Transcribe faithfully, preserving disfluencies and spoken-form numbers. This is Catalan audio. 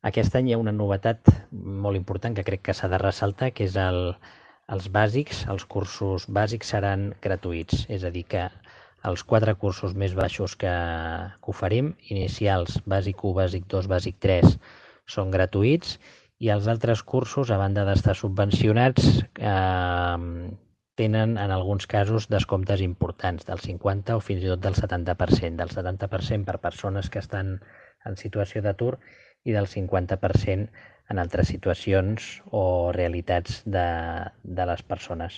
Aquest any hi ha una novetat molt important que crec que s'ha de ressaltar, que és el, els bàsics, els cursos bàsics seran gratuïts, és a dir que els quatre cursos més baixos que, que oferim, inicials, bàsic u, bàsic dos, bàsic tres, són gratuïts, i els altres cursos, a banda d'estar subvencionats, eh, tenen en alguns casos descomptes importants, del cinquanta o fins i tot del setanta per cent, del setanta per cent per persones que estan en situació d'atur i del cinquanta per cent en altres situacions o realitats de, de les persones.